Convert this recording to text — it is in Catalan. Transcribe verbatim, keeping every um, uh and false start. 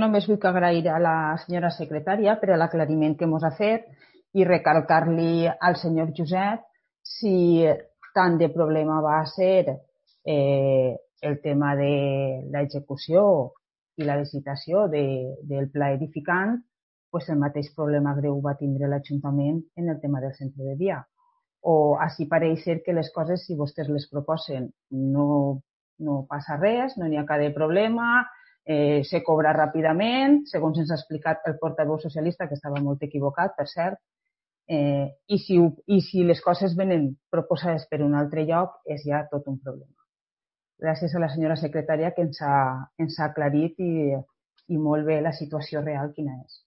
Només vull agrair a la senyora secretària per l'aclariment que ens ha fet i recalcar-li al senyor Josep si tant de problema va ser eh, el tema de l'execució i la licitació de, del pla edificant, pues el mateix problema greu va tindre l'Ajuntament en el tema del centre de dia. O així pareix ser que les coses, si vostès les proposen, no, no passa res, no n'hi ha cap de problema, Eh, se cobra ràpidament, segons ens ha explicat el portaveu socialista, que estava molt equivocat, per cert, eh, i, si, i si les coses venen proposades per un altre lloc, és ja tot un problema. Gràcies a la senyora secretària que ens ha, ens ha aclarit i, i molt bé la situació real quina és.